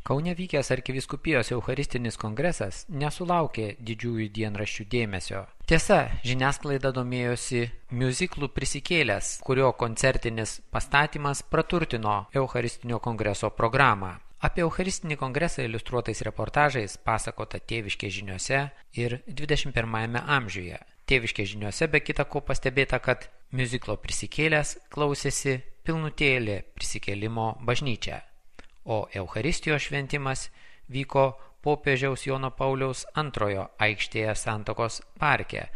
Kaune vykęs arkivyskupijos eucharistinis kongresas nesulaukė didžiųjų dienraščių dėmesio. Tiesa, žiniasklaida domėjosi miuziklų Prisikėlęs, kurio koncertinis pastatymas praturtino eucharistinio kongreso programą. Apie eucharistinį kongresą iliustruotais reportažais pasakota Tėviškės žiniose ir 21 amžiuje. Tėviškės žiniose be kita ko pastebėta, kad miuziklo Prisikėlęs klausėsi pilnutėlė prisikėlimo bažnyčia, o Eucharistijos šventimas vyko popiežiaus Jono Pauliaus II aikštėje Santakos parke.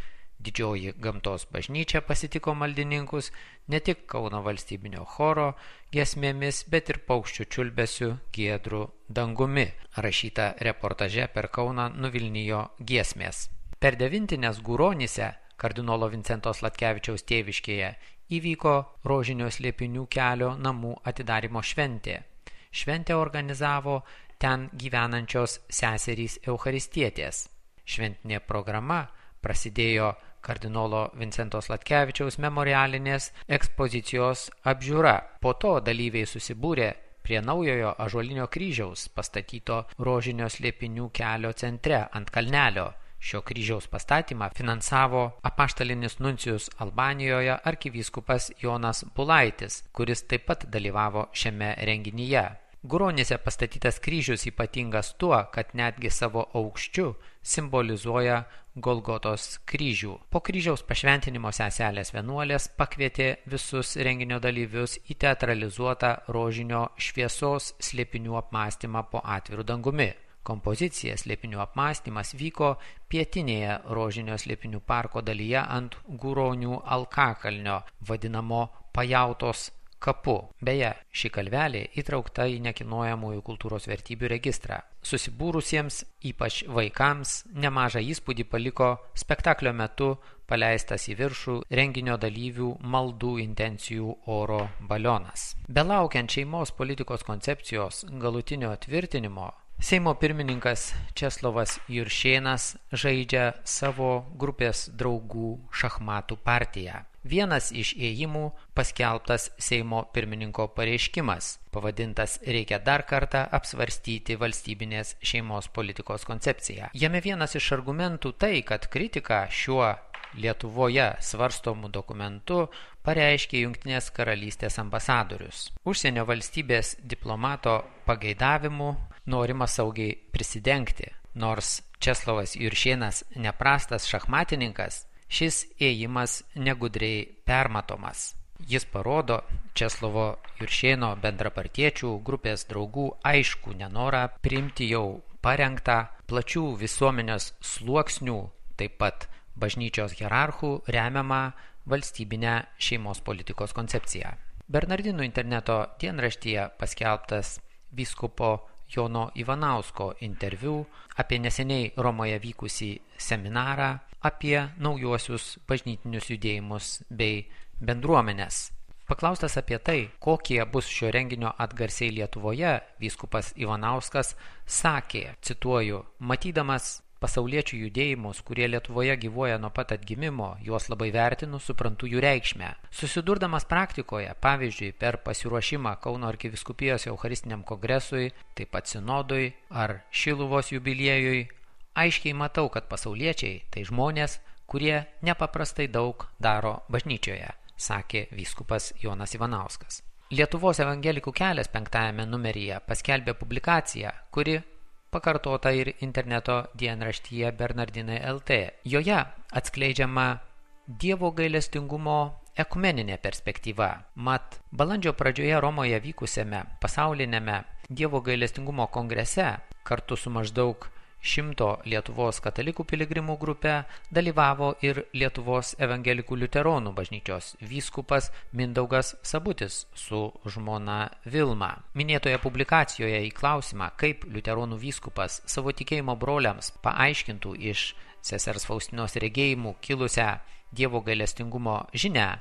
Didžioji gamtos bažnyčia pasitiko maldininkus ne tik Kauno valstybinio choro giesmėmis, bet ir paukščių čiulbesiu giedru dangumi, rašyta reportaže per Kauną nuvilnijo giesmės. Per devintines Guronyse, kardinolo Vincento Sladkevičiaus tėviškėje, įvyko Rožinio slėpinių kelio namų atidarymo šventė. Šventę organizavo ten gyvenančios seserys eucharistietės. Šventinė programa prasidėjo kardinolo Vincento Sladkevičiaus memorialinės ekspozicijos apžiūra. Po to dalyviai susibūrė prie naujojo ąžuolinio kryžiaus pastatyto Rožinio slėpinių kelio centre ant kalnelio. Šio kryžiaus pastatymą finansavo apaštalinis nuncijus Albanijoje arkivyskupas Jonas Bulaitis, kuris taip pat dalyvavo šiame renginyje. Guronyse pastatytas kryžius ypatingas tuo, kad netgi savo aukščiu simbolizuoja Golgotos kryžių. Po kryžiaus pašventinimo seselės vienuolės pakvietė visus renginio dalyvius į teatralizuotą Rožinio šviesos slėpinių apmąstymą po atviru dangumi. Kompozicija Slėpinių apmąstymas vyko pietinėje Rožinio slėpinių parko dalyje ant Guronių alkakalnio, vadinamo Pajautos kapu. Beje, ši kalvelė įtraukta į nekilnojamųjų kultūros vertybių registrą. Susibūrusiems, ypač vaikams, nemažą įspūdį paliko spektaklio metu paleistas į viršų renginio dalyvių maldų intencijų oro balionas. Belaukiant šeimos politikos koncepcijos galutinio tvirtinimo, Seimo pirmininkas Česlovas Juršėnas žaidžia savo grupės draugų šachmatų partiją. Vienas iš ėjimų paskelbtas Seimo pirmininko pareiškimas, pavadintas "Reikia dar kartą apsvarstyti valstybinės šeimos politikos koncepciją". Jame vienas iš argumentų tai, kad kritika šiuo Lietuvoje svarstomų dokumentų pareiškė Jungtinės karalystės ambasadorius. Užsienio valstybės diplomato pageidavimu norima saugiai prisidengti. Nors Česlovas Juršėnas neprastas šachmatininkas, šis ėjimas negudriai permatomas. Jis parodo Česlovo Juršėno bendrapartiečių grupės draugų aiškų nenorą priimti jau parengtą plačių visuomenės sluoksnių, taip pat bažnyčios hierarchų remiamą valstybinę šeimos politikos koncepciją. Bernardinų interneto dienraštyje paskelbtas vyskupo Jono Ivanausko interviu apie neseniai Romoje vykusį seminarą apie naujuosius bažnytinius judėjimus bei bendruomenės. Paklaustas apie tai, kokie bus šio renginio atgarsiai Lietuvoje, vyskupas Ivanauskas sakė, cituoju, matydamas pasauliečių judėjimus, kurie Lietuvoje gyvuoja nuo pat atgimimo, juos labai vertinu, suprantu jų reikšmę. Susidurdamas praktikoje, pavyzdžiui, per pasiruošimą Kauno arkivyskupijos eucharistiniam kongresui, taip pat sinodui ar Šiluvos jubiliejui, aiškiai matau, kad pasauliečiai tai žmonės, kurie nepaprastai daug daro bažnyčioje, sakė vyskupas Jonas Ivanauskas. Lietuvos evangelikų kelias 5 numeryje paskelbė publikaciją, kuri pakartota ir interneto dienraštyje Bernardinai LT. Joje atskleidžiama Dievo gailestingumo ekumeninė perspektyva. Mat, balandžio pradžioje Romoje vykusiame pasaulinėme Dievo gailestingumo kongrese kartu su maždaug 100 Lietuvos katalikų piligrimų grupe dalyvavo ir Lietuvos evangelikų liuteronų bažnyčios vyskupas Mindaugas Sabutis su žmona Vilma. Minėtoje publikacijoje į klausimą, kaip liuteronų vyskupas savo tikėjimo broliams paaiškintų iš sesers Faustinos regėjimų kilusią Dievo gailestingumo žinią,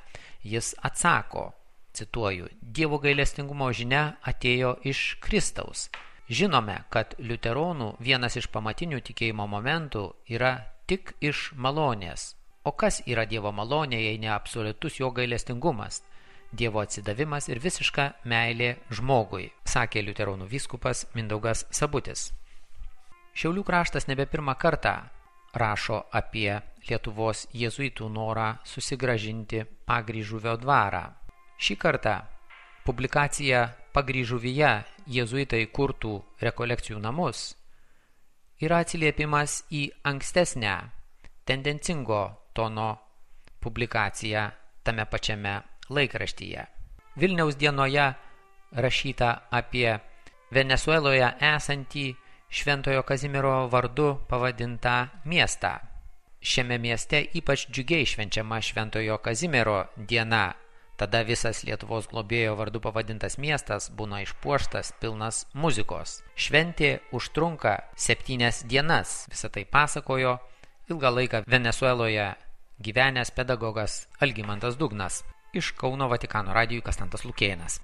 jis atsako, cituoju, Dievo gailestingumo žinia atėjo iš Kristaus. Žinome, kad liuteronų vienas iš pamatinių tikėjimo momentų yra tik iš malonės. O kas yra Dievo malonė, jei ne absoliutus jo gailestingumas? Dievo atsidavimas ir visiška meilė žmogui, sakė liuteronų vyskupas Mindaugas Sabutis. Šiaulių kraštas nebe pirmą kartą rašo apie Lietuvos jėzuitų norą susigrąžinti Pagryžuvio dvarą. Šį kartą publikacija Pagryžuvyje jėzuitai kurtų rekolekcijų namus yra atsiliepimas į ankstesnę tendencingo tono publikaciją tame pačiame laikraštyje. Vilniaus dienoje rašyta apie Venesueloje esantį Šventojo Kazimiero vardu pavadintą miestą. Šiame mieste ypač džiugiai švenčiama Šventojo Kazimiero diena. Tada visas Lietuvos globėjo vardu pavadintas miestas būna išpuoštas, pilnas muzikos. Šventė užtrunka 7 dienas. Visą tai pasakojo ilgą laiką Venesueloje gyvenęs pedagogas Algimantas Dugnas. Iš Kauno Vatikano radijui Kastantas Lukėnas.